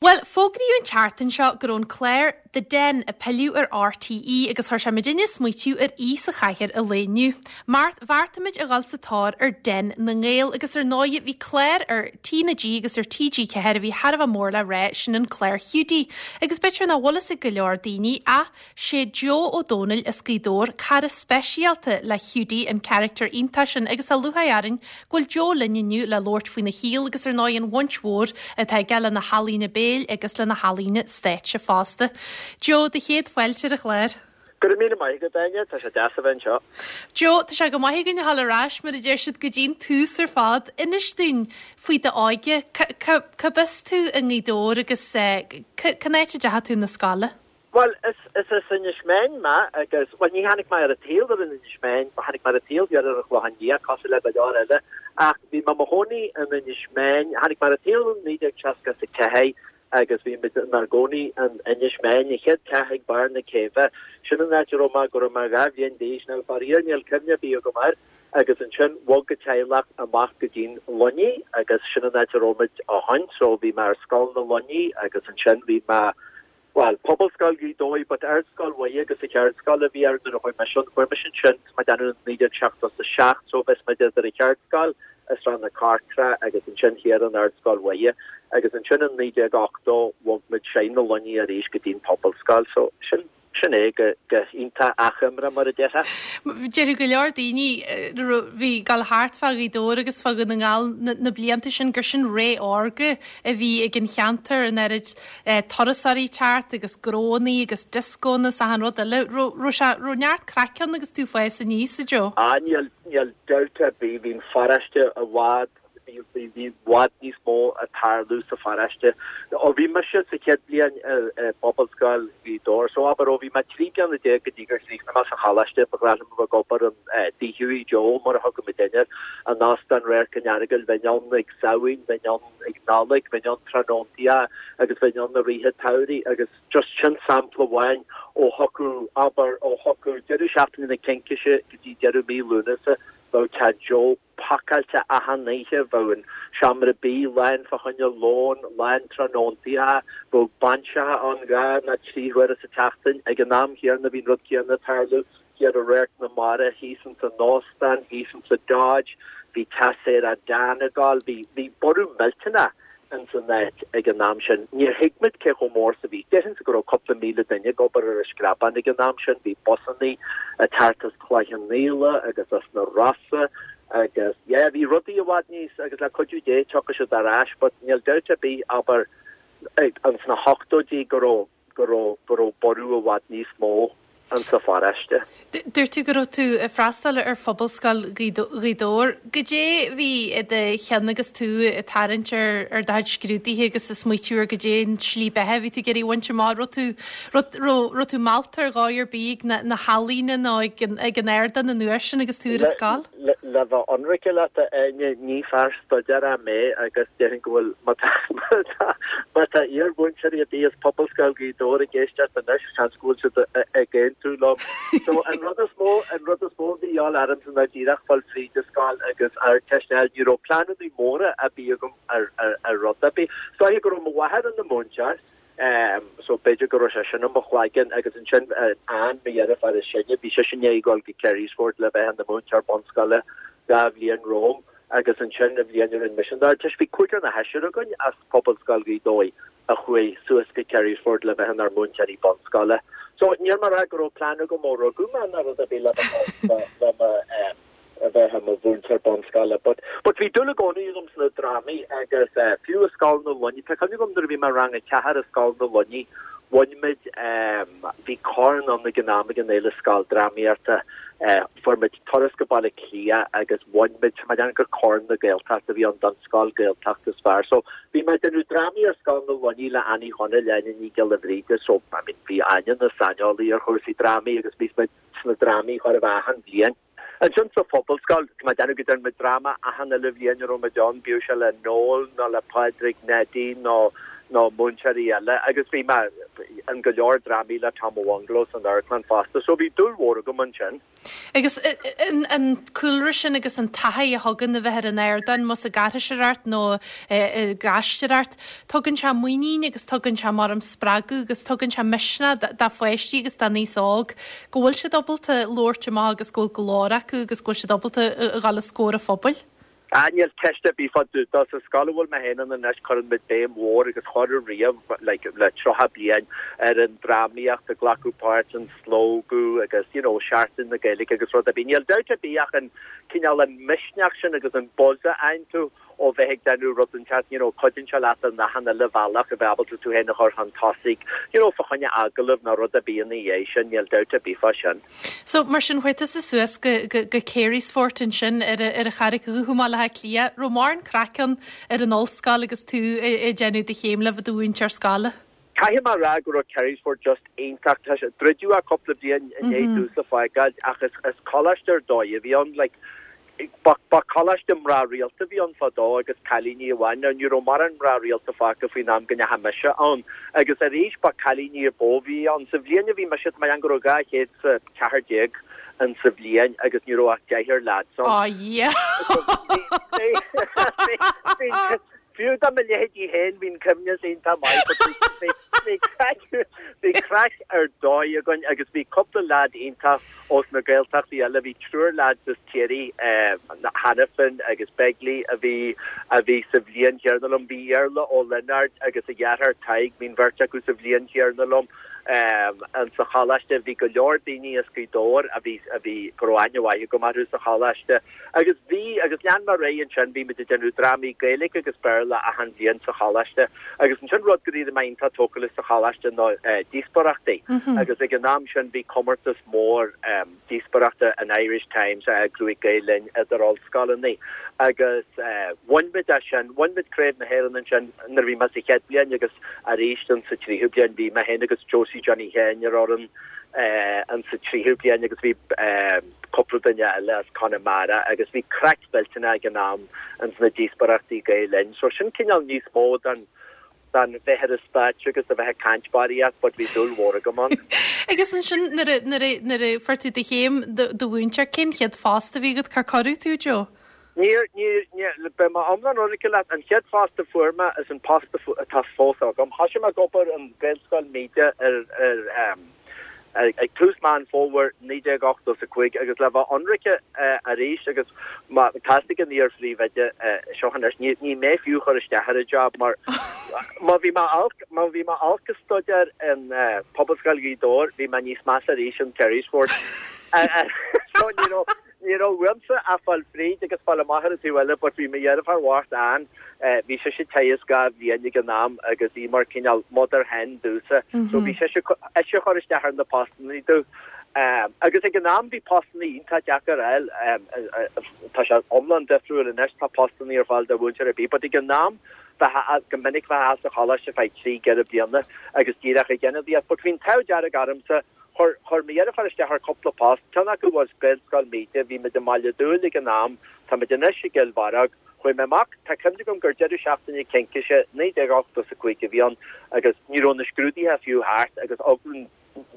Bhuel, fógraíodh an tseachtain seo go raibh an clár The Den ag pilleadh ar RTÉ agus chuir sé muidinne ag smaoitiú ar aoi sa chathaoir an lae inniu. Mar bheartaigh muid a dhul sa tóir ar Den na nGael agus ar ndóigh bhí clár ar T na G agus ar TG4 a bhí thar a bheith mór le rá, sin an clár Hiúdaí. Agus b'fhéidir nach bhfuil fhios ag go leor daoine ach Sé Joe Ó Dónaill as Gaoth Dobhair cara speisialta le Hiúdaí, an carachtar iontach sin agus tá lúcháir orainn go bhfuil Joe linn inniu le labhairt faoina shaol agus ar ndóigh an bhaint mhór atá aige le na healaíona béil agus le na healaíona stáitse fosta. Joe, do chéad fáilte ar an chlár. Go raibh míle maith agat, Áine, tá sé deas a bheith anseo. Joe, tá sé go maith againn a dhul ar ais, mar a deir siad, go dtí an tús ar fad. Inis dúinn faoi d'óige, cárb as tú i nGaoth Dobhair agus cén áit a dteachaigh tú na scoile? Bhuel, is as Inis Meáin mé agus, bhuel, ní tháinig mé ar an tsaol ar an Inis Meáin, tháinig mé ar an tsaol thiar ar an Chlochán Liath, cosúil le go leor eile, ach bhí mé i mo chónaí in Inis Meáin, tháinig mé ar an tsaol in 1964 agus bhí muid inár gcónaí in Inis Meáin, an chéad teach ag barr na céibhe, sin an áit a raibh mé go raibh mé 2 bhliain d'aois, now faraor níl cuimhne ar bith agam air, agus ansin bhog an teaghlach amach go dtí'n Luinnigh agus sin an áit a raibh muid ó shoin, so bhí mé ar Scoil na Luinnigh agus ansin bhí mé Bhuel, Pobalscoil Ghaoth Dobhair, but Ardscoil Mhuire agus an Cheardscoil a bhí air nuair a chuaigh mise ann. Chuaigh mise ansin, tá mé ag déanamh, in 1977, so bhí muid idir an Cheardscoil i Srath na Corcra agus ansin thiar in Ardscoil Mhuire. Agus ansin in 1980 bhog muid siar na Luinnigh arís go dtí'n Pobalscoil. So sin, sin é go, go hiontach achoimre mar a déarfá. Déarfadh go leor daoine a bhí ag dul thart fá Ghaoth Dobhair agus fá Dhún na nGall na blianta sin gur sin ré órga a bhí ag an cheantar, an oiread turasóirí ag teacht agus gnóannaí agus dioscónna is achan rud eile. Raibh sé, raibh neart craic ann agus tú ag fás aníos, a Joe? Ah níl, níl dabht ar bith, bhí an pharóiste i bhfad, bhí, bhí, bhí i bhfad níos mó ag tarlú sa pharóiste. Ó bhí mise sa chéad bhliain i, i bPobalscoil Ghaoth Dobhair, so abair ó bhí mé 13 bliana go dtí gur chríochnaigh mé sa choláiste, ba ghnách liom a bheith ag obair in Tigh Hughie Joe mar a thugadh muidinne air, in Óstán Radharc an Earagail, bheinn ann ag Samhain, bheinn ann ag Nollaig, bheinn ann tráthnóntaí agus bheinn ann i rith an tsamhraidh agus just sin sampla amháin ó thiocfadh, abair, ó thiocfadh deireadh seachtaine na Cincíse go dtí deireadh mí Lúnasa, bheadh teach Joe pacáilte achan oíche, bheadh an seomra bídh lán fá choinne lón, lán tráthnóntaí, bheadh bainseacha ann dhá nó trí huaire sa tseachtain. Ag an am chéanna bhí an rud céanna ag tarlú thiar i Radharc na Mara, thíos ins an óstán, thíos ins an Dodge, bhí teas aerach Dan ag gabháil, bhí, bhí borradh millteanach ins an áit ag an am sin. Níor thuig muid cé chomh mór is a bhí. Déarfainnse go raibh cúpla 1,000 duine ag obair ar an Screabán ag an am sin. Bhí busannaí ag teacht as Cloich Cheann Fhaola agus as na Rosa agus yeah, bhí rudaí i bhfad níos, agus le cuidiú Dé tiocfaidh siad ar ais, but níl dabht ar bith, abair, ins na hochtóidí go raibh, go raibh, go raibh borradh i bhfad níos mó insa pharóiste. Dúirt tú go raibh tú ag freastal ar Phobalscoil Ghaoth Dobhair. Goidé bhí i do cheann agus tú ag tarraingt ar ar do chuid scrúduithe agus ag smaoitiú ar goidé an tslí beatha a bhí tú ag iarraidh a bhaint amach? Raibh tú, raibh, raibh, raibh tú meallta ar dhóigh ar bith ag na, na healaíona nó ag an, ag an ardán an uair sin agus tú ar an scoil? Le bheith ionraic leat, a Áine, ní fear staidéir mé agus déarfainn go bhfuil, má tá, má tá iar-mhúinteoirí ar bith as Pobalscoil Ghaoth Dobhair ag éisteacht anois, seans go bhfuil siad ag aontú liom. So, an rud is mó, an rud is mó a bhí a dhíobháil ormsa ná díreach fáil fríd an scoil agus Ardteist a fháil. Ní raibh pleananna móra ar bith agam ar, ar, ar rud ar bith. Is dóiche go raibh mo mháthair ina múinteoir. So b'fhéidir go raibh sé sin i mo chloigeann agus ansin Ann, mo dheirfiúr is sine, bhí sise i ndiaidh a ghabháil go Carysfort le bheith ina múinteoir bunscoile dhá bhliain romham agus ansin an bhliain a rinne mise an Ardteist, bhí cúigear nó seisear againn as Pobalscoil Ghaoth Dobhair a chuaigh suas go Carysfort le bheith inár múinteoirí bunscoile. So níl mé ag rá go raibh plean agam ó rugadh mé ná rud ar bith le le mo a bheith i mo mhúinteoir bunscoile but but bhí dúil i gcónaí agam sna drámaí agus eh fiú i Scoil na Luinnigh, tá cuimhne agam nuair a bhí mé i rang a ceathair i Scoil na Luinnigh bhain muid em bhí corn ann ag an am ag an Fhéile Scoildrámaíochta eh fuair muid turas go Baile Átha Cliath agus bhain muid tá mé ag déanamh gur Corn na Gaeltachta a bhí ann don scoil Gaeltacht is fearr so bhí mé ag déanamh drámaí ar Scoil na Luinnigh le Annie Chonaill, Áine Ní Ghiolla Bhríde so I mean bhí Áine ina saineolaí ar chúrsaí drámaí agus bhí muid sna drámaí chóir a bheith achan bhliain. Ansin sa Phobalscoil, tá mé ag déanamh go ndearna muid dráma achan uile bhliain a raibh muid ann, bíodh sé le Noel nó le Pádraig Neidí nó nó múinteoirí eile agus bhí mé in go leor drámaí le Tom Ó Bhungalow san amharclann fosta so bhí dúil mhór agam ansin. Agus an cúlra sin agus an taithí a thugann a bheith ar an ardán, más ag aithriseoireacht nó ag aisteoireacht, tugann sé muinín agus tugann sé mar am spreagadh agus tugann sé misneach do pháistí agus don aos óg go bhfuil siad ábalta labhairt amach agus go bhfuil glór acu agus go bhfuil siad ábalta a dhul os comhair an phobail. Ah, níl ceist ar bith fá dtaobh dó. Sa scoil a bhfuil mé féin ann anois cuireann muid béim mhór agus chuireadh riamh like le 30 bliain ar an drámaíocht, ag glacadh páirt an slógadh agus you know Seachtain na Gaeilge agus rud ar bith. Níl dabht ar bith ach an cineál an misneach sin agus an buzz a fhaigheann tú ó bheith ag déanamh rud inteacht you know cuidíonn sé leat in achan uile bhealach a bheith ábalta tú féin a chur chun tosaigh you know fá choinne agallamh nó rud ar bith ina dhiaidh sin, níl dabht ar bith fá sin. So, mar sin, chuaigh tusa suas go, go, go Carysfort ansin ar a, ar an Charraig Dhubh i mBaile Átha Cliath. Raibh mórán craic ann ar an ollscoil agus tú ag déanamh do chéim le bheith i do mhúinteoir scoile? Caithfidh mé a rá go raibh Carysfort just iontach. Tá sé, druideadh é cúpla bliain i ndiaidh domhsa fágáil ach is, is coláiste ar dóigh a bhí ann. Like, Ba choláiste mná rialta a bhí ann fadó agus cailíní amháin. Now ní raibh mórán mná rialta fágtha faoin am go ndeachaigh mise ann. Agus arís ba cailíní a ba mhó a bhí ann. Sa bhliain a bhí mise, tá mé ag déanamh go raibh 214 in sa bhliain agus ní raibh ach deichniúr lads ann. Á Dhia! Fiú do mo leithéidí féin bhí an coibhneas iontach maith but bhí craic, bhí craic ar dóigh againn agus bhí cúpla leaid iontach ós na Gaeltachtaí eile, bhí triúr leaids as Ciarraí, Hanafin agus Begley a bhí a bhí sa bhliain chéanna liom, bhí Iarla Ó Lionáird agus a dheartháir Tadhg, bhí an bheirt acu sa bhliain chéanna liom in sa choláiste, bhí go leor daoine as Gaoth Dobhair a bhí a bhí go raibh aithne mhaith agam orthu sa choláiste. Agus bhí, agus lean mé ar aghaidh ansin, bhí muid ag déanamh drámaí Gaeilge agus Béarla achan bhliain sa choláiste. Agus ansin rud go raibh mé iontach tógtha leis sa choláiste ná díospóireachtaí. Agus ag an am sin bhí comórtas mór díospóireachta an Irish Times á eagrú ag Gael Linn idir ollscoileanna. Agus bhain muid é sin, bhain muid Craobh na hÉireann ansin nuair a bhí mé sa chéad bhliain agus arís in sa tríú bliain bhí mé féin agus Josie Johnny Sheáin ar fhoireann in sa tríú bliain agus bhí cúpla duine eile as Conamara agus bhí craic mhillteanach ag an am ins na díospóireachtaí Gael Linn. So sin cineál níos mó den den bheith ar an stáitse agus a bheith ag caint barraíocht but bhí dúil mhór agam ann. Agus ansin nuair a nuair a nuair a fuair tú do chéim do do mhúinteoir, cén chéad phost a bhí agat? Cár cuireadh tú, Joe? Níor, níor, níor, beidh mé iomlán ionraice leat, an chéad phost a fuair mé is an post atá fós agam. Thoisigh mé ag obair in Gaelscoil Míde ar, ar, ag tús Meán Fómhair 1985 agus le bheith ionraice arís agus má tá a fhios ag an iar-phríomhoide seo anois, ní, ní mé fiú a chuir isteach ar an job mar má bhí mé olc, má bhí mé olc ag staidéar in Pobalscoil Ghaoth Dobhair, bhí mé níos measa arís in Carysfort. So ní raibh, Ní raibh uaimse ach fáil fríd agus fáil amach ar an taobh eile but bhí mo dheirfiúr bhocht Ann, bhí sise ag teagasc dhá bhliain ag an am agus í mar cineál mother hen domhsa so bhí sise ise a chur isteach ar na postannaí domh. Agus ag an am bhí postannaí iontach deacair a fháil, tá sé iomlán difriúil anois, tá postannaí ar fáil do mhúinteoir ar bith but ag an am bheifeá go minic bheifeá sa choláiste feadh trí, ceithre bliana agus díreach ag ionadaíocht but bhí an t-ádh dearg ormsa Chuir, chuir mo dheirfiúr isteach ar cúpla post, ceann acu was Gaelscoil Míde, bhí muid i mBaile Dúill ag an am, tá muid anois i gCill Bharróg. Chuaigh mé amach, tá cuimhne agam gur deireadh seachtaine Cincíse 1985 a bhí ann agus ní raibh na scrúduithe fiú thart agus eagla an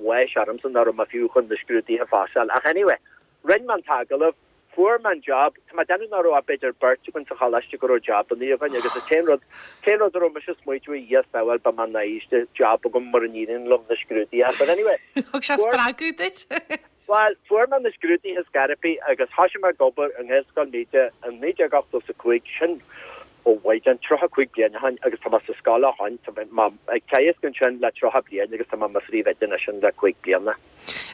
bháis ormsa nach raibh mé fiú chun na scrúduithe a phasáil. Ach anyway, rinne mé an t-agallamh, Fuair mé an job. Tá mé ag déanamh nach raibh ach b'fhéidir beirt againn sa choláiste go raibh jabannaí againn agus an t-aon rud, t-aon rud a raibh mise ag smaoitiú a Dhia sábháil beidh mé náiste job agam mura n-éiríonn liom na scrúduithe. But anyway, Thug sé fuair, spreagadh duit. bhuel, fuair mé na scrúduithe scairpí agus thoisigh mé ag obair i nGaelscoil Míde in 1985, sin, ó mhaighdean, 35 bliain ó shin agus tá mé sa scoil ó shin, tá mé ag teagasc ansin le 30 bliain agus tá mé i mo phríomhoide anois le 5 bliana.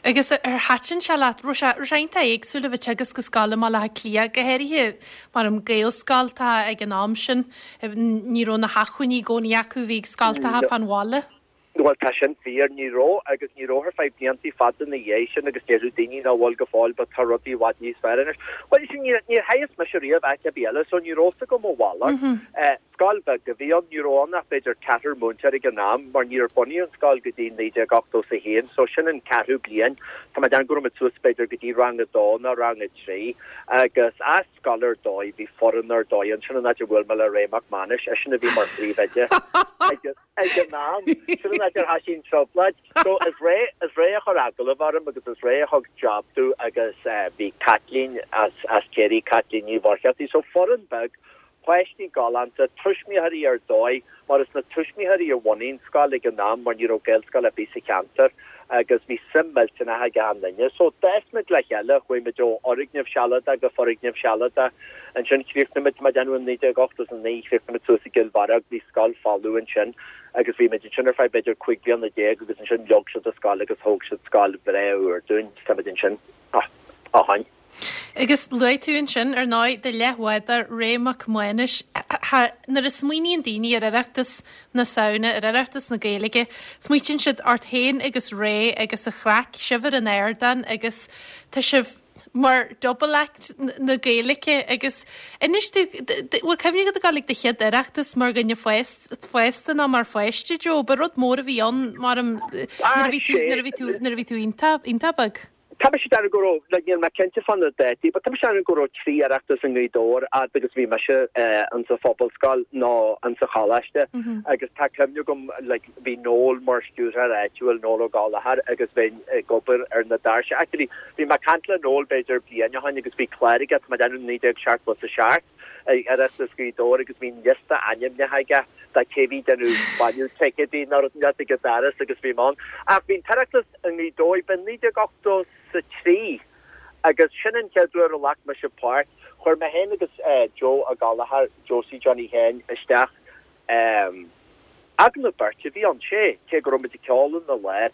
Agus ar thaitin sé leat? Raibh sé, raibh sé iontach éagsúil a bheith ag teagasc i scoil i mBaile Átha Cliath, go háirithe mar an Gaelscoil atá ag an am sin. Ní raibh na hacmhainní i gcónaí acu a bhí ag scoltacha fán bhaile. Bhuel, tá sin fíor. Ní raibh, agus ní raibh ar feadh bliantaí fada ina dhiaidh sin agus déarfadh daoine nach bhfuil go fóill but tá rudaí i bhfad níos fearr anois. Bhuel, you see, níor, níor theagasc mise riamh áit ar bith eile so ní raibh fhios agam a mhalairt. Scoil bheag a bhí ann, ní raibh ann ach b'fhéidir ceathrar múinteoir ag an am mar níor bunaíodh an scoil go dtí 1981 so sin an ceathrú bliain. Tá mé ag déanamh go raibh muid suas b'fhéidir go dtí rang a dó nó rang a trí agus as scoil ar dóigh, bhí foireann ar dóigh ann, sin an áit a bhuail mé le Ray Mac Mánais, eisean a bhí mar phríomhoide ag an am, sin an áit ar thoisigh an trioblóid. So is Ray, is Ray a chuir agallamh orm agus is Ray a thug job domh agus bhí Caitlín as, as Ciarraí, Caitlín Ní Mhuircheartaigh, so foireann beag Páistí galánta, tuismitheoirí ar dóigh, mar is na tuismitheoirí a bhunaigh an scoil ag an am mar ní raibh Gaelscoil ar bith sa cheantar agus bhí suim millteanach ag achan duine. So d'fhás muid le chéile, chuaigh muid ó fhoirgneamh sealadach go foirgneamh sealadach. Ansin chríochnaigh muid, tá mé ag déanamh in 1989, chríochnaigh muid suas i gCill Bharróg, bhí scoil folamh ansin agus bhí muid ansin ar feadh b'fhéidir 15 bliana agus ansin leag siad an scoil agus thóg siad scoil bhreá úr dúinn, tá muid ansin ó shin. Agus luaigh tú ansin, ar ndóigh, do leathbhádóir Ray Mac Mánais. Nuair a smaoiníonn daoine ar Oireachtas na Samhna, ar Oireachtas na Gaeilge, smaoitíonn siad ort féin agus Ray agus an chraic, sibh ar an ardán agus tá sibh mar double act na Gaeilge agus inis domh, bhfuil cuimhne agat ag dul ag do chéad Oireachtas mar dhuine fásta nó mar pháiste, Joe? Ba rud mór a bhí ann mar nuair a bhí tú, nuair a bhí tú, nuair a bhí tú iontach, iontach beag. Tá mise ag déanamh go raibh, like, níl mé cinnte fá na dátaí, but tá mise ag déanamh go raibh trí Oireachtas i nGaoth Dobhair fhad agus bhí mise in sa phobalscoil nó in sa choláiste agus tá cuimhne agam, like, bhí Noel mar stiúrthóir áitiúil, Noel Ó Gallchóir, agus bheinn ag obair ar na doirse. Actually, bhí mé ag caint le Noel b'fhéidir bliain ó shin agus bhí clár aige, tá mé ag déanamh 1977, ag Oireachtas Ghaoth Dobhair agus bhí liosta ainmneacha aige de cé bhí ag déanamh bailiú ticéadaí nó rud inteacht ag an doras agus bhí mé ann. Ach bhí an tOireachtas i nGaoth Dobhair, b'in 1983 agus sin an chéad uair a ghlac mise páirt. Chuir mé féin agus Joe Ó Gallchóir, Josie Johnny Sheáin, isteach Agallamh beirte a bhí ann, sé, cé go raibh muid ag ceol ina lár.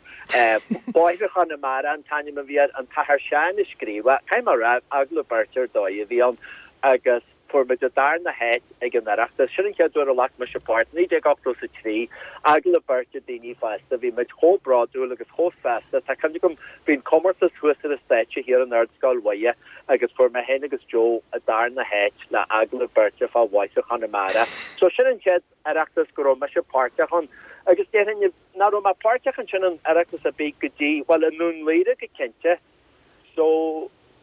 Bóithre Chonamara an t-ainm a bhí air, an tAthair Seán a scríobh é. Caithfidh mé a rá, agallamh beirte ar dóigh a bhí ann agus fuair muid an darna háit ag an Oireachtas. Sin an chéad uair a ghlac mise páirt, 1983, agallamh beirte daoine fásta. Bhí muid chomh bródúil agus chomh sásta. Tá cuimhne agam, bhí an comórtas thuas ar an stáitse thiar in Ardscoil Mhuire agus fuair mé féin agus Joe an darna háit le agallamh beirte fá Bhóithre Chonamara. So sin an chéad Oireachtas go raibh mise páirteach ann. Agus déarfainn nach raibh mé páirteach ansin in Oireachtas ar bith go dtí, bhuel i nDún Laoghaire go cinnte. So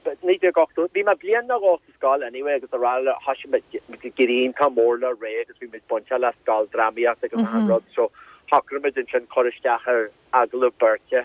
1980, bhí mé bliain nó dhó sa scoil anyway agus araile thoisigh mé ag éirí iontach mór le Ray agus bhí muid bainteach le scoil drámaíochta agus achan rud so shocraigh muid ansin cur isteach ar agallamh beirte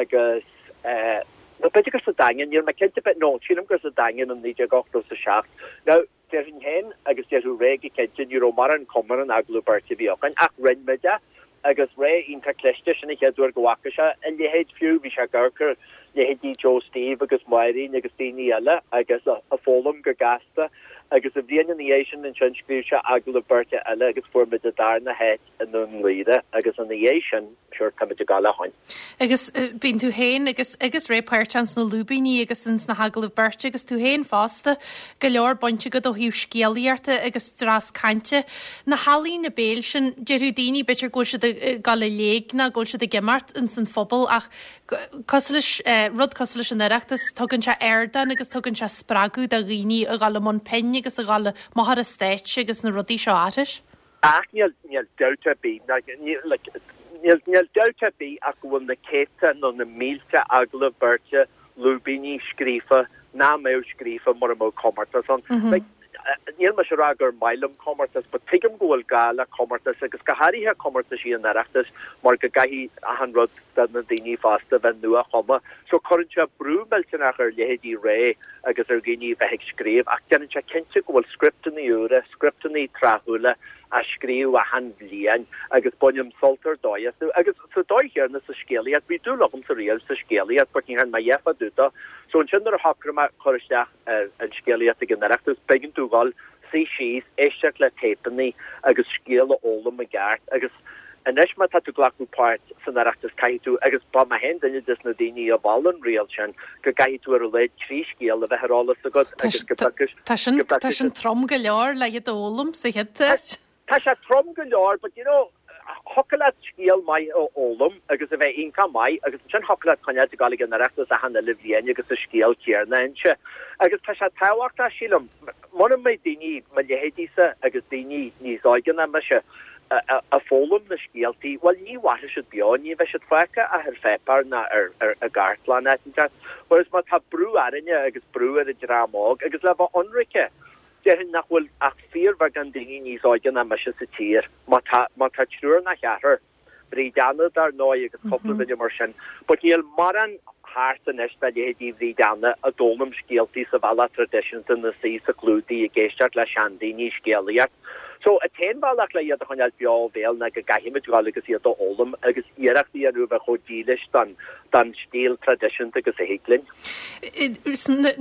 agus nó b'fhéidir gur sa Daingean, níl mé cinnte, but no, sílim gur sa Daingean in 1987. Now, déarfainn féin agus déarfadh Ray go cinnte, ní raibh mórán cuma ar an agallamh beirte a bhí againn ach rinne muid é agus Ray iontach cliste, sin an chéad uair go bhfaca sé a leithéid fiú, bhí sé ag amharc ar leithéidí Joe Steve agus Máirín agus daoine eile agus ag foghlaim go gasta agus an bhliain ina dhiaidh sin ansin scríobh sé agallamh beirte eile agus fuair muid an darna háit i nDún Laoghaire agus ina dhiaidh sin, sure, táimid ag gabháil ó shoin. Agus bíonn tú féin agus agus Ray páirteach ins na lúibíní agus ins na hagallaimh beirte agus tú féin fosta, go leor baint agat ó thaobh scéalaíochta agus dreas cainte. Na healaíona béil sin, déarfadh daoine b'fhéidir go bhfuil siad ag dul i léig nó go bhfuil siad ag imeacht ins an phobal ach cosúil leis, rud cosúil leis an Oireachtas, tugann sé ardán agus tugann sé spreagadh do dhaoine a dhul i mbun pinn agus a dhul amach ar an stáitse agus na rudaí seo a aithris. Ach níl, níl dabht ar bith, níl, like, níl, níl dabht ar bith ach go bhfuil na céadta nó na mílte agallamh beirte, lúibíní scríofa nach mbeadh scríofa mura mbeadh comórtas ann. Like, níl mise ag rá gur maith liom comórtas, but tuigim go bhfuil gá le comórtas agus go háirithe comórtaisí an Oireachtais mar go gcaithfidh achan rud do na daoine fásta bheith nua-chumtha. So cuireann sé brú millteanach ar leithéidí Ray agus ar dhaoine bheith ag scríobh ach déanann sé cinnte go bhfuil scripteanna úra, scripteanna tráthúla á scríobh achan bhliain agus bainim sult ar dóigh astu. Agus sa dóigh chéanna sa scéalaíocht, bhí dúil agamsa riamh sa scéalaíocht but ní dhearna mé a dhath fá dtaobh dó. So ansin nuair a shocraigh mé cur isteach ar an scéalaíocht ag an Oireachtas, b'éigean domh dhul suí síos, éisteacht le téipeanna agus scéal a fhoghlaim i gceart. Agus anois má tá tú ag glacadh páirt san Oireachtas caithfidh tú, agus ba mé féin duine des na daoine a mhol an riail sin, go gcaithfidh tú ar a laghad trí scéal a bheith ar eolas agat agus go bhfeicfidh, Tá sin, tá sin trom go leor le iad a fhoghlaim sa chéad áit. Tá sé trom go leor but you know, thiocfadh leat scéal. scéal maith a fhoghlaim agus a bheith iontach maith agus ansin thiocfadh leat coinneáilt ag dul ag an Oireachtas achan uile bhliain agus an scéal céanna a inse. Agus tá sé tábhachtach, sílim, mura mbeidh daoine, mo leithéidísa agus daoine níos óige ná mise, ag foghlaim na scéaltaí, bhuel, ní mhairfidh siad beo, ní bheidh siad fágtha ach ar pháipéar ná ar i gcartlann áit inteacht. Whereas má tá brú orainne agus brú ar an dream óg, agus le bheith ionraice, déarfainn nach bhfuil ach fíorbheagán daoine níos óige ná mise sa tír, má tá, má tá triúr ná ceathrar. Bríd Anna, dar ndóigh, agus cúpla duine mar sin. But níl mórán thart anois de leithéidí Bhríd Anna a d'fhoghlaim scéaltaí sa bhealach traidisiúnta ina suí sa chlúdaigh ag éisteacht le seandaoine ag scéalaíocht. So, an t-aon bhealach le iad a choinneáil beo ó bhéal ná go gcaithfimid dhul agus iad a fhoghlaim agus iarracht a dhéanamh a bheith chomh dílis don don stíl traidisiúnta agus a thig linn.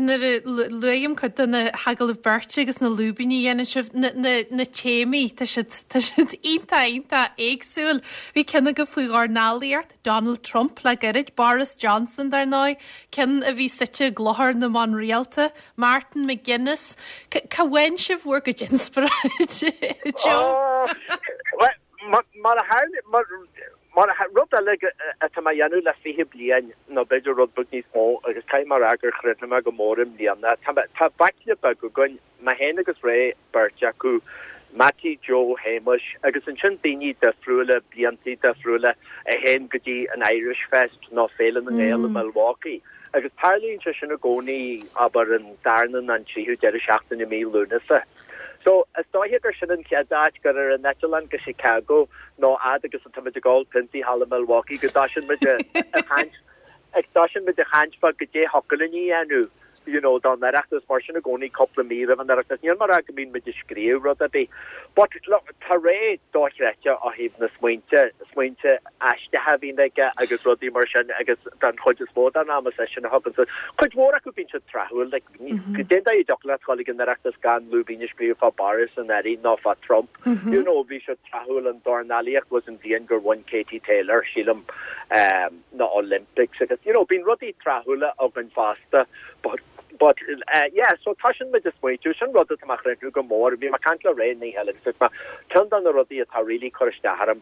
Nuair a léim cuid de na hagallaimh beirte agus na lúibíní a dhéanann sibh, na téamaí, tá siad, tá siad iontach, iontach éagsúil. Bhí ceann agaibh faoi dhornálaíocht, Donald Trump le gairid, Boris Johnson dar ndóigh, ceann a bhí suite i gClochar na mBan Rialta, Martin McGuinness. Cá bhfaigheann sibh bhur gcuid inspioráide, Joe? Mar a tharla, mar, mar a, rud eile atá mé a dhéanamh le 20 bliain, nó b'fhéidir rud beag níos mó, agus caithfidh mé a rá gur chríochnaigh mé go mór i mbliana, tá mé, tá baicle beag againn, mé féin agus Ray, beirt acu, Mattie Joe Shéamuis, agus ansin daoine difriúla, bliantaí difriúla, a théann go dtí an Irish Fest nó Féile na nGael i Milwaukee. Agus tarlaíonn sé sin i gcónaí, abair, an darna nó an tríú deireadh seachtaine i mí Lúnasa. So, is dóiche gur sin an chéad áit gur ar an eitleán go Chicago nó fhad agus atáimid ag ól piontaí thall i Milwaukee go dtoisíonn muid a chaint, ag toisíonn muid a chaint fá goidé thiocfadh linn a dhéanamh, you know, don Oireachtas, mar sin i gcónaí cúpla mí roimh an Oireachtas. Níl mé ag rá go mbíonn muid ag scríobh rud ar bith. But, look, tá Ray dochreidte ó thaobh na smaointe, smaointe aisteacha a bhíonn aige agus rudaí mar sin agus don chuid is mó den am is eisean a thugann suas. Cuid mhór acu bíonn siad tráthúil, like, Cén dóigh a dtiocfadh leat dhul ag an Oireachtas gan lúibín a scríobh fá Boris anuraidh nó fá Trump? You know, bhí sé tráthúil an dornálaíocht was an bhliain gur bhain Katie Taylor, sílim, na Olympics agus, you know, bíonn rudaí tráthúla againn fosta but, but, yeah, so toisíonn muid ag smaointiú, sin rud atá mé a chríochnú go mór, bhí mé ag caint le Ray an oíche eile agus dúirt mé, ceann de na rudaí atá really cur isteach orm,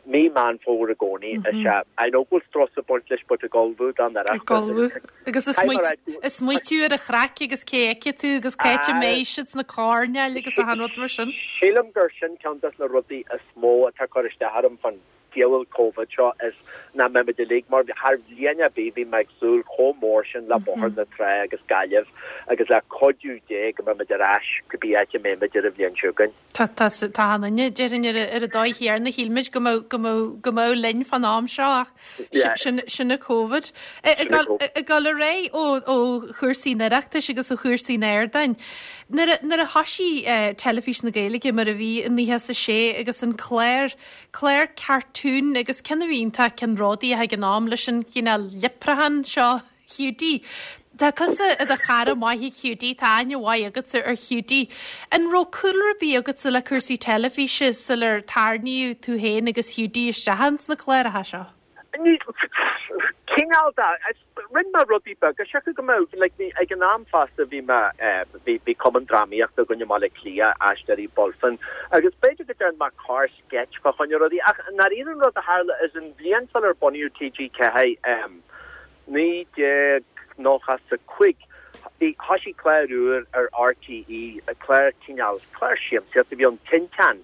mí Meán Fómhair i gcónaí is ea, I know go bhfuil strus ag baint leis but ag ullmhú don Oireachtas. Ag ullmhú. Agus ag smaoitiú ar an chraic agus cé a fheicfidh tú agus cá háit a mbeidh siad sna coirnéil agus achan rud mar sin. Sílim gur sin ceann des na rudaí is mó atá ag cur isteach orm fán diabhal Covid seo is nach mbeimid uilig mar thar bhliain ar bith bhí mé ag súil chomh mór sin le Bóthar na Trá agus Gaillimh agus le cuidiú Dé go mbeimid ar ais cibé áit a mbeimid ar an bhliain seo chugainn. Tá, tá, tá achan duine, déarfainn ar ar an dóigh chéanna, shíl muid go mbeadh, go mbeadh, go mbeadh linn fán am seo ach sin, sin an Covid. Ag dul, ag dul ar aghaidh ó, ó chúrsaí an Oireachtais agus ó chúrsaí an ardáin, nuair a, nuair a thoisigh Teilifís na Gaeilge mar a bhí i 96 agus an clár, clár cartún agus ceann a bhí iontach ceannródaíoch ag an am leis an chineál leipreachán seo, Hiúdaí. Tá tusa i do chara maith ag Hiúdaí, tá aithne mhaith agatsa ar Hiúdaí. An raibh cúlra ar bith agatsa le cúrsaí teilifíse sular tarraingíodh tú féin agus Hiúdaí isteach ins na cláracha seo? Ní, cineál de. Rinne mé rudaí beaga, seachas go mbeadh, like, bhí, ag an am fosta bhí mé, bhí, bhí cumann drámaíochta againn i mBaile Átha Cliath, Aisteoirí Bulfin, agus b'fhéidir go dtearn mé corr sketch fá choinne rudaí, ach i ndáiríre an rud a tharla is an bhliain sular bunaíodh TG4, 1995, bhí, thoisigh clár úr ar RTÉ, clár cineál, clár siamsaíochta a bhí ann, Tinteán,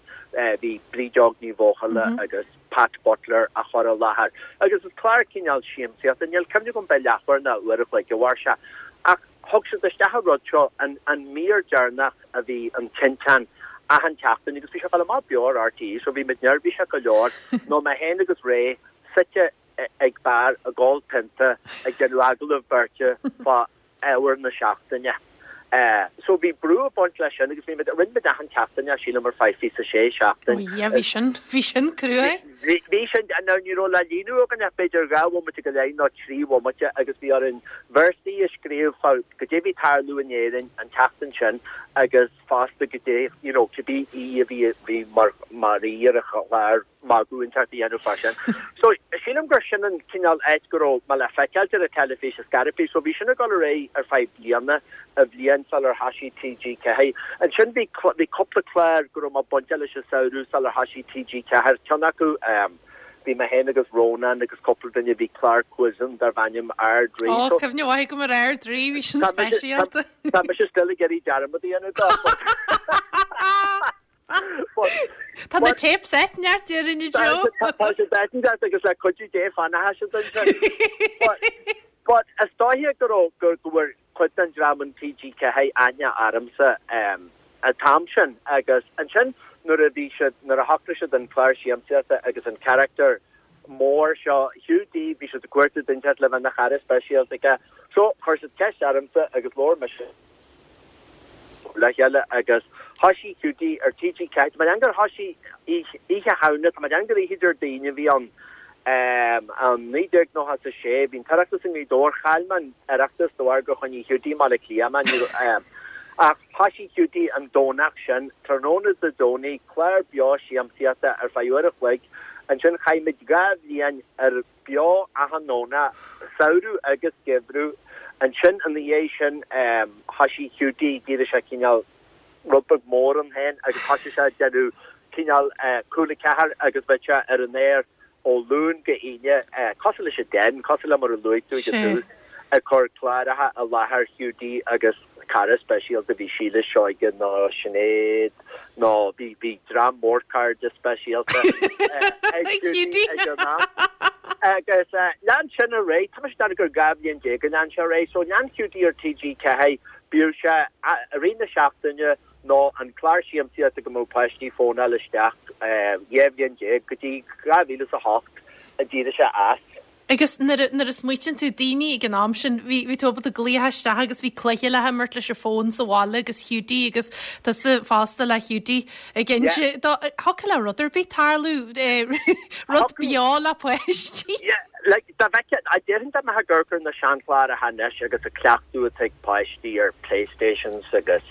bhí Bríd Óg Ní Bhuachalla agus Pat Butler á chur i láthair agus is clár cineál siamsaíochta, níl cuimhne agam b'é leathuair nó uair a chloig a mhair sé, ach thug siad isteach an rud seo, an, an mír deireanach a bhí in Tinteán achan tseachtain agus bhí sé ag dul amach beo ar RTÉ so bhí muid neirbhíseach go leor nó mé féin agus Ray suite ag beár ag ól pionta ag déanamh agallamh beirte fá ábhar na seachtaine. So bhí brú ag baint leis sin agus bhí muid, rinne muid achan tseachtain é sílim ar feadh 26 seachtain. Oh yeah, bhí sin, bhí sin cruaidh. Bhí, bhí sin, now ní raibh le líonadh againn ach b'fhéidir 2 bhomaite go leith nó 3 bhomaite agus bhí orainn véarsaí a scríobh fá goidé bhí ag tarlú in Éirinn an tseachtain sin agus fosta goidé, you know, cibé aoi a bhí, bhí mar, mar aoi ar an chlár. magadh inteacht a dhéanamh fá sin. So, sílim gur sin an cineál áit go raibh mé le feiceáilt ar an teilifís is gairid. So, bhí sin ag dul ar aghaidh ar feadh bliana, a bhliain sular thoisigh TG4. Ansin bhí bhí cúpla clár go raibh mé bainteach leis an samhradh sular thoisigh TG4. Ceann acu, ehm, Bhí mé féin agus Rónán agus cúpla duine, bhí clár quiz ann darbh ainm Ard Rí. Ó, cuimhne mhaith agam ar Ard Rí, bhí sin speisialta. Tá mise still ag iarraidh dearmad a dhéanamh dó. Tá na tapes ait neart déarfainn a Joe. Tá siad ait neart agus le cuidiú Dé fanfaidh siad ansin. But is dóiche go raibh go bhfuair cuid den dream in TG4 aithne ormsa an t-am sin agus ansin nuair a bhí siad, nuair a shocraigh siad an clár siamsaíochta agus an charachtar mór seo, Hugh D, bhí siad ag cuartú duine inteacht le bheith ina chara speisialta aige. So chuir siad ceist ormsa agus labhair mise le chéile agus thoisigh Hiúdaí ar TG4, tá mé ag déanamh gur thoisigh Oíche Shamhna, tá mé ag déanamh gur oíche Déardaoin a bhí ann, in 1996, bhí an tOireachtas i nGaoth Dobhair, chaill mé an Oireachtas de bharr gur choinnigh Hiúdaí i mBaile Átha Cliath mé, ní raibh, ach thoisigh Hiúdaí an Domhnach sin, tráthnóna Dé Domhnaigh, clár beo siamsaíochta ar feadh uair a chloig, ansin chaith muid 2 bhliain ar. beo achan nDomhnach, samhradh agus geimhreadh. Ansin ina dhiaidh sin thoisigh Hiúdaí, d'éirigh sé cineál rud beag mór ann féin agus thoisigh sé ag déanamh cineál Cúla 4 agus bheadh sé ar an aer ó Luan go hAoine, cosúil leis an Den, cosúil le mar a luaigh tú ag an tús, ag cur cláracha i láthair Hiúdaí agus cara speisialta, bhí Síle Seoige nó Sinéad nó bhí bhí dream mór cairde speisialta ag Hiúdaí ag an am. Agus lean sin ar aghaidh, tá mise ag déanamh gur 12 bhliain a lean sé ar aghaidh, so lean Hiúdaí ar TG4, bíodh sé i rith na seachtaine nó an clár siamsaíochta go mbeadh páistí ag fónáil isteach 12 bhliain go dtí 2008 a d'éirigh sé as. Agus nuair a, nuair a smaoitíonn tú, daoine ag an am sin, bhí, bhí tú ábalta glaoch isteach agus bhí cluiche le himirt leis an fón sa bhaile agus Hiúdaí agus tusa fosta le Hiúdaí ag inse, Yeah. do, thiocfadh le rud ar bith tarlú, eh, rud beo le páistí. Yeah, like, dá bhfeicfeá, a déarfainn dá mbeifeá ag amharc ar na seanchláracha anois agus an cleachtadh atá ag páistí ar Playstations agus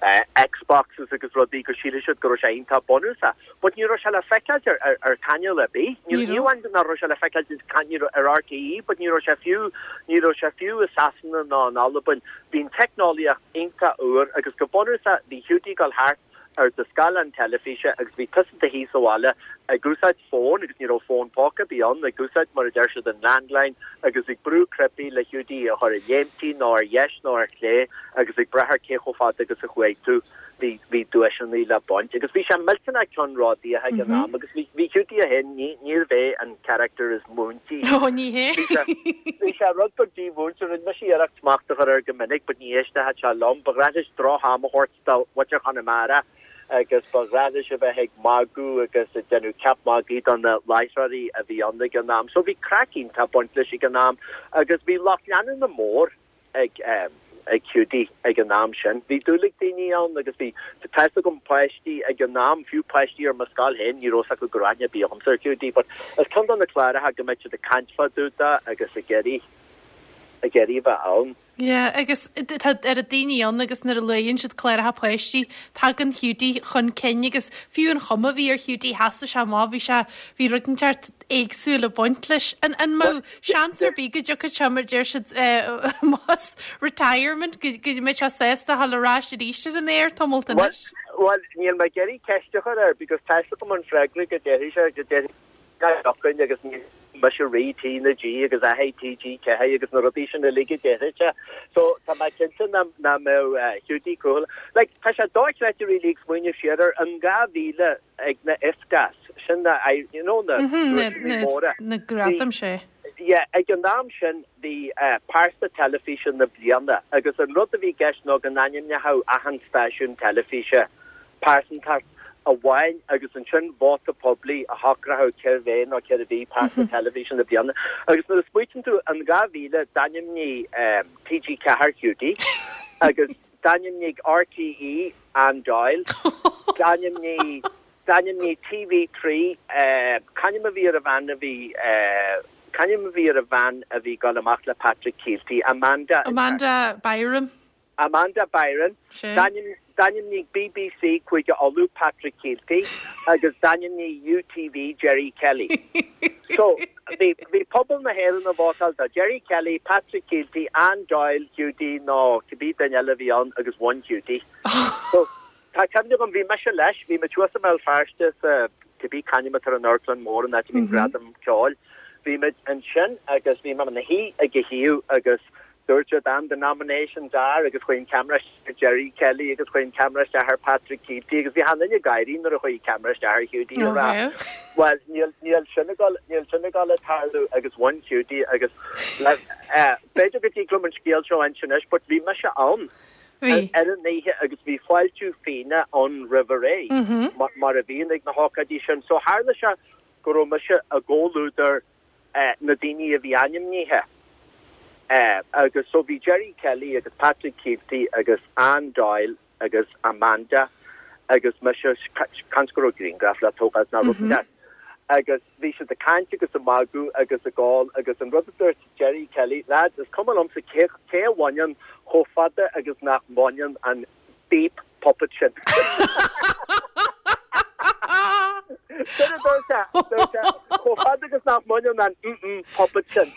eh, Xboxes agus rudaí go sílfidh siad go raibh sé iontach bunúsach. But ní raibh sé le feiceáilt ar ar chainéal ar bith. Ní ní amháin nach raibh sé le feiceáilt ar RTÉ but ní raibh sé fiú ní raibh sé fiú i Sasana ná in Albain. Bhí an teicneolaíocht iontach úr agus go bunúsach bhí Hiúdaí ag dul thart ar do scáileán teilifíse agus bhí tusa i do shuí sa bhaile ag úsáid fón agus ní raibh fón póca ar bith ann, ag úsáid mar a deir siad an landline agus ag brú cnaipí le Hiúdaí a chur ag léimtí nó ar dheis nó ar chlé agus ag brath ar cé chomh fada agus a chuaigh tú. bhí, bhí duaiseanna le baint agus bhí sé millteanach ceannródaíoch ag an am agus bhí, bhí Hiúdaí é féin, ní, níorbh é an character is múintí. Ó, ní hé. Bhí sé, bhí sé rud beag dímhúinte, rinne mise iarracht smacht a chur air go minic but ní éisteodh sé liom. Ba ghnách leis droch-am a thabhairt do mhuintir Chonamara agus ba ghnách leis a bheith ag magadh agus ag déanamh ceap magaidh do na láithreoirí a bhí ann ag an am. So bhí craic iontach ag baint leis ag an am agus bhí lucht leanúna mór ag ag Hiúdaí ag an am sin. Bhí dúil ag daoine ann agus bhí, tá fhios agam páistí ag an am, fiú páistí ar mo scoil féin, ní raibh fhios acu go raibh aithne ar bith agamsa ar Hiúdaí but is ceann de na cláracha go mbeadh siad ag caint fá dtaobh de agus ag iarraidh, ag iarraidh a bheith ann. Yeah, agus tá oiread daoine ann agus nuair a luann siad cláracha páistí, tagann Hiúdaí chun cinn agus fiú an chuma a bhí ar Hiúdaí, sheasadh sé amach, bhí sé, bhí rud inteacht éagsúil ag baint leis. An, an mbeadh seans ar bith go dtiocfadh sé, mar deir siad, más retirement, go mbeidh sé sásta a dhul ar ais arís ar an aer tamalt anois? Bhuel, níl mé ag iarraidh ceist a chur air because tá fhios agam an freagra go déarfaidh sé, go déarfaidh sé nach dtiocfainn agus ní mise rí T na G agus athair TG4 agus na rudaí sin uilig a déarfaidh sé. So tá mé cinnte nach mbeadh Hiúdaí cúthail. Like, tá sé dochreidte really ag smaoineamh siar air, in 2000, ag na IFTAs, sin na, you know, na duaiseanna móra. Na gradaim, sea. Yeah, ag an am sin bhí pearsa teilifíse na bliana agus an rud a bhí i gceist ná go n-ainmneochadh achan stáisiún teilifíse pearsantacht amháin agus ansin vóta poiblí a shocródh cérbh é nó cérbh í pearsa teilifíse na bliana. Agus nuair a smaoitíonn tú, in 2000 d'ainmnigh TG4 Hiúdaí agus D'ainmnigh RTÉ Anne Doyle. D'ainmnigh, d'ainmnigh TV3, c'ainm a bhí ar an bhean a bhí, c'ainm a bhí ar an bhean a bhí ag dul amach le Patrick Kielty, Amanda. Amanda Byram. Amanda Byron. Sin. D'ainmnigh BBC Cúige Uladh Patrick Kielty agus d'ainmnigh UTV Gerry Kelly. So, bhí, bhí pobal na hÉireann ag vótáil do Gerry Kelly, Patrick Kielty, Anne Doyle, Hiúdaí nó cibé duine eile a bhí ann agus bhain Hiúdaí. So, tá cuimhne agam, bhí mise leis, bhí muid thuas i mBéal Feirste sa. cibé c'ainm atá ar an amharclann mór an áit a mbíonn gradaim ceoil. Bhí muid ansin agus bhí mé ina shuí ag a thaobh agus dúirt siad and the nominations are agus chuaigh an ceamara isteach ar Gerry Kelly agus chuaigh an ceamara isteach ar Patrick Kielty agus bhí achan duine ag gáirí nuair a chuaigh an ceamara isteach ar Hiúdaí ag rá bhuel níl níl sin ag dul níl sin ag dul ag tarlú agus bhain Hiúdaí agus eh, b'fhéidir go dtig liom an scéal seo a inse anois but bhí mise ann ar an oíche agus bhí fáiltiú fíona ann roimh a ré mar a bhíonn ag na hócáidí sin so tharla sé go raibh mise i gcomhluadar na daoine a bhí ainmnithe agus so bhí Gerry Kelly agus Patrick Kielty agus Anne Doyle agus Amanda agus mise, seans go raibh grianghraf le tógáil nó rud inteacht. Agus bhí siad ag caint agus ag magadh agus ag ól agus an rud a dúirt Gerry Kelly, lads, is cuma liomsa cé a bhaineann chomh fada agus nach mbaineann an beep puppet sin. Sin a dúirt sé, dúirt sé, chomh fada agus nach mbaineann an mm puppet sin.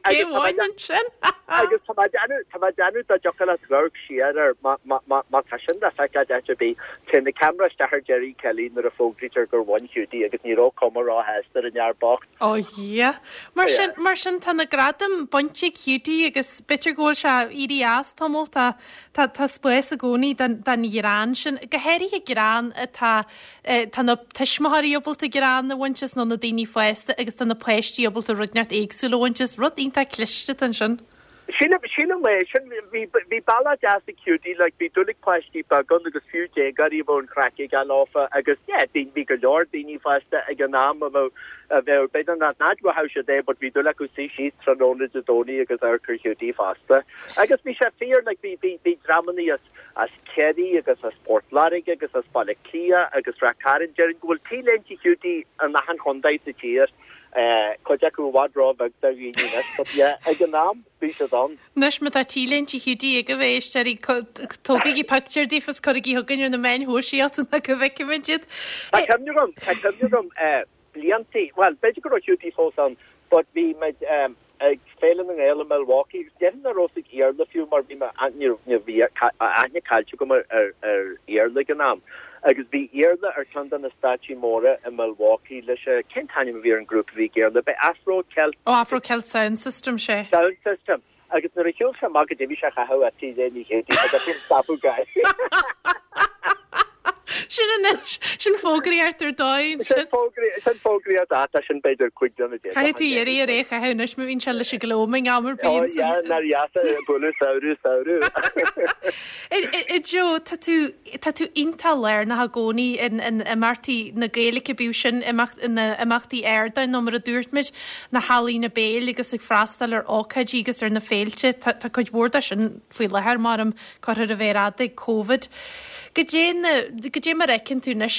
Cé a bhaineann sin? Agus tá mé ag déanamh, tá mé ag déanamh dá dtiocfadh leat amharc siar air, má, má, má, má tá sin le feiceáil áit ar bith, téann an ceamara isteach ar Gerry Kelly nuair a fógraítear gur bhain Hiúdaí agus ní raibh cuma róshásta ar an fhear bocht. Ó Dhia. Mar sin, mar sin tá na gradaim bainte ag Hiúdaí agus b'fhéidir go bhfuil sé éirithe as tamall, tá, Tá tá spás i gcónaí don don ghreann sin, go háirithe greann atá tá na tuismitheoirí ábalta greann a bhaint as nó na daoine fásta agus tá na páistí ábalta rud inteacht éagsúil a bhaint as. Rud iontach cliste atá ansin. Sílim, sílim é sin, bhí, bhí bealach deas ag Hiúdaí, like, bhí dúil ag páistí beaga ann agus fiú déagóirí a bheadh an chraic aige leofa agus yeah, bhí, bhí go leor daoine fásta ag an am a bheadh, a bheadh, b'fhéidir nach, nach bhfaigheadh siad é but bhí dúil acu suí síos tráthnóna Dé Domhnaigh agus amharc ar Hiúdaí fosta. Agus bhí sé fíor, like, bhí, bhí, bhí dreamannaí as, as Ciarraí agus as Port Láirge agus as Baile Átha Cliath agus Rath Cairn, déarfainn go bhfuil T-léinte Hiúdaí in achan chontae sa tír, eh, cuid acu i bhfad ró-bheag do dhaoine anois, but yeah, ag an am, bhí siad ann. Anois má tá T-léinte Hiúdaí agaibh a éisteoirí, tógaigí pictiúr díobh is cuirigí chugainn ar na meáin shóisialta nó go bhfeicfimid iad. Tá cuimhne agam, tá cuimhne agam, eh, bliantaí, bhuel, b'fhéidir go raibh Hiúdaí fós ann, but bhí muid, eh, ag Féile na nGael i Milwaukee agus déarfainn nach raibh a fhios ag Iarla fiú mar bhí mé, ní raibh, bhí aithne caillte agam ar, ar, ar Iarla ag an am. Agus bhí Iarla ar ceann de na stáitsí móra i Milwaukee leis, cén t-ainm a bhí ar an grúpa a bhí ag Iarla? B'é Afro Celt? Ó, Afro Celt Sound System, sé. Sound System. Agus nuair a shiúil sé amach goidé bhí sé a chaitheamh ach T-léine Hiúdaí agus bhí an scaipeadh gáire. Sin anois, sin fógraíocht ar dóigh. Sin fógraíocht, sin fógraíocht ata, sin b'fhéidir 15 bliana Caithfidh tú iarraidh air é a chaitheamh anois má bhíonn sé leis an gloaming am ar bith. Ó yeah, nár dheas é bualadh samhradh, samhradh. A Joe, tá tú, tá tú iontach lárnach i gcónaí in, in imeachtaí na Gaeilge, bíodh sin imeacht, na imeachtaí ardáin nó mar a dúirt muid, na healaíona béil agus ag freastal ar ócáidí agus ar na féilte. Tá, tá cuid mhór de sin faoi láthair, maram, curtha ar an mhéar fhada ag Covid. Goidé na, goidé mar a fheiceann tú anois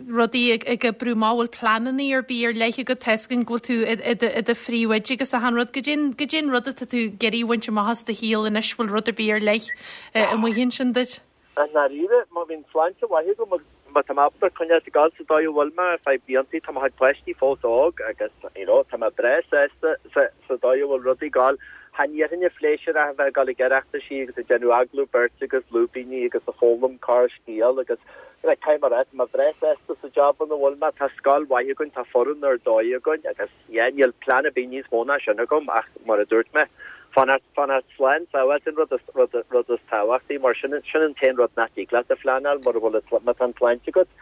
rudaí ag, ag oibriú amach, bhfuil pleananna ar bith ar leith agat, tá a fhios againn go bhfuil tú i, i do, i do phríomhoide agus achan rud. Goidé, goidé an rud atá tú ag iarraidh a bhaint amach as do shaol anois, bhfuil rud ar bith ar leith amuigh ansin duit? I ndáiríre, má bhíonn sláinte mhaith agam agus má tá mé ábalta coinneáil ag gabháil sa dóigh a bhfuil mé ar feadh bliantaí, tá mo chuid páistí fós óg agus, you know, tá mé breá sásta sa dóigh a bhfuil rudaí ag gabháil. Chan iarrfainn an phléisiúr ach a bheith ag gabháil ag Oireachtaisí agus ag déanamh agallamh beirte agus lúibíní agus ag foghlaim corr-scéal agus, like, caithfidh mé a rá, tá mé breá sásta sa job ina bhfuil mé, tá scoil mhaith againn, tá foireann ar dóigh againn agus, Yeah, níl plean ar bith níos mó ná sin agam ach mar a dúirt mé, fanacht, fanacht slán sábháilte an rud is, rud, rud is tábhachtaí mar sin, sin an t-aon rud nach dtig leat a phleanáil mura bhfuil an, má tá an tsláinte agat,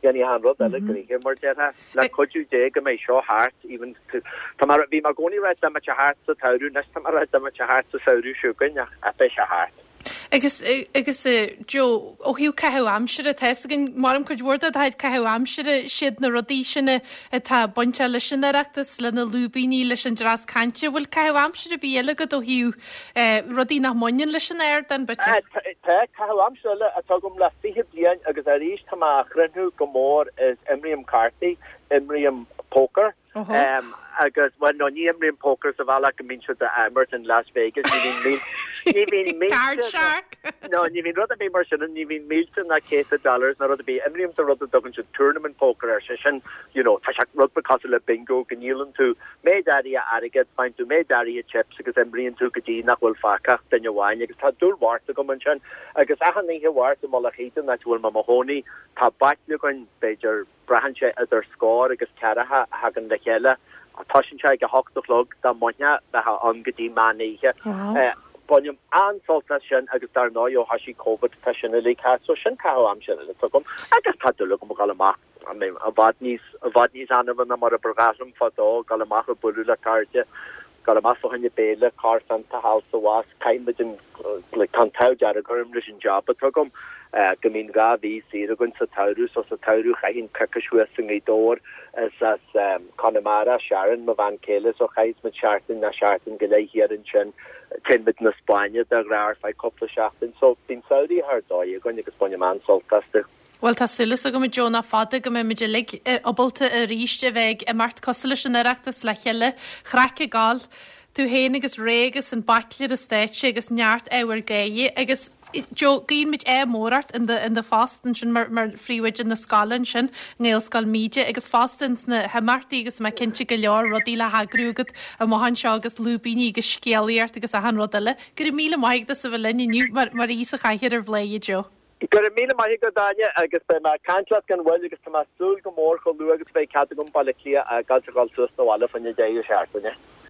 dhéanfaidh achan rud eile gnoithe mar déarfá. Le cuidiú Dé go mbeidh seo thart, even, tá mé, bhí mé i gcónaí ag rá dá mbeadh sé thart sa tsamhradh, anois tá mé ag rá dá mbeadh sé thart sa samhradh seo chugainn ach, ach beidh sé thart. Agus, agus a Joe, ó thaobh caitheamh aimsire, tá fhios againn, maram cuid mhór de do chuid caitheamh aimsire, siad na rudaí sin atá bainteach leis an Oireachtas, le na lúibíní, leis an dreas cainte. Bhfuil caitheamh aimsire ar bith eile agat ó thaobh rudaí nach mbaineann leis an ardán, b'fhéidir? Tá, caitheamh aimsire eile atá agam le 20 bliain agus arís tá mé á chriothnú go mór is imrím cártaí, imrím pócar. Agus, bhuel, no, ní imrím pócar sa bhealach go mbíonn siad á imirt in Las Vegas, ní bhíonn mílte, ní bhíonn mílte, Card shark! no, ní bhíonn rud ar bith mar sin ann, ní bhíonn mílte ná céadta dollars ná rud ar bith. Imrím sa rud a dtugann siad tournament poker air, sé sin, you know, tá sé rud beag cosúil le bingo, go ndíolann tú méid áirithe airgid, faigheann tú méid áirithe chips agus imríonn tú go dtí nach bhfuil fágtha ach duine amháin agus tá dúil mhart agam ansin. Agus achan oíche Mháirt i Mullach Íde, an áit a bhfuil mé i mo chónaí, tá baicle againn, b'fhéidir. Braitheann sé idir scór agus ceathracha a thagann le chéile. Toisíonn sé ag 8 a chlog, dá mbainfeá, bheifeá ann go dtí meán oíche. Bainim an-sult as sin agus dar ndóigh ó thoisigh Covid tá sin uilig thart so sin caitheamh aimsire eile atá agam agus tá dúil agam a dhul amach i bhfad níos i bhfad níos annaimhe ná mar a ba ghnách liom fadó, dul amach ag bualadh le cairde, dul amach fá choinne béile, corrphionnta a fháil sa bhus, caithfidh muid an like tá an t-ádh dearg orm leis an job atá agam go mbíonn 2 mhí saor againn sa tsamhradh so sa tsamhradh chaithfinn coicís thuas i nGaoth Dobhair is as Conamara, Sharon, mo bhean chéile, so chaith muid seachtain nó seachtain go leith thiar ansin. Téann muid na Spáinne de ghnáth ar feadh cúpla seachtain. So bíonn samhraí thar dóigh againn agus bainim an-sult astu. Bhuel tá súil agam a Joe nach fada go mbeidh muid uilig ábalta arís a bheith ag imeacht cosúil leis an Oireachtas le chéile, craic ag gabháil, tú féin agus Ray agus an baicle ar an stáitse agus neart ábhar gáire agus Joe, guíonn muid ádh mór ort in do, in do phost ansin mar, mar phríomhoide na scoile ansin, i nGaelscoil Míde agus fosta ins na himeachtaí agus mé cinnte go leor rudaí le heagrú agat amach anseo agus lúibíní agus scéalaíocht agus achan rud eile. Go raibh míle maith agat as a bheith linn inniu mar, mar aoi sa chathaoir ar Bhladhaire a Joe. Go raibh míle maith agat, Áine, agus beidh mé ag caint leat gan mhoill agus tá mé ag súil go mór chomh luath agus a bheidh cead agam Baile Átha Cliath a fhágáilt a dhul suas na bhaile fá choinne deireadh seachtaine.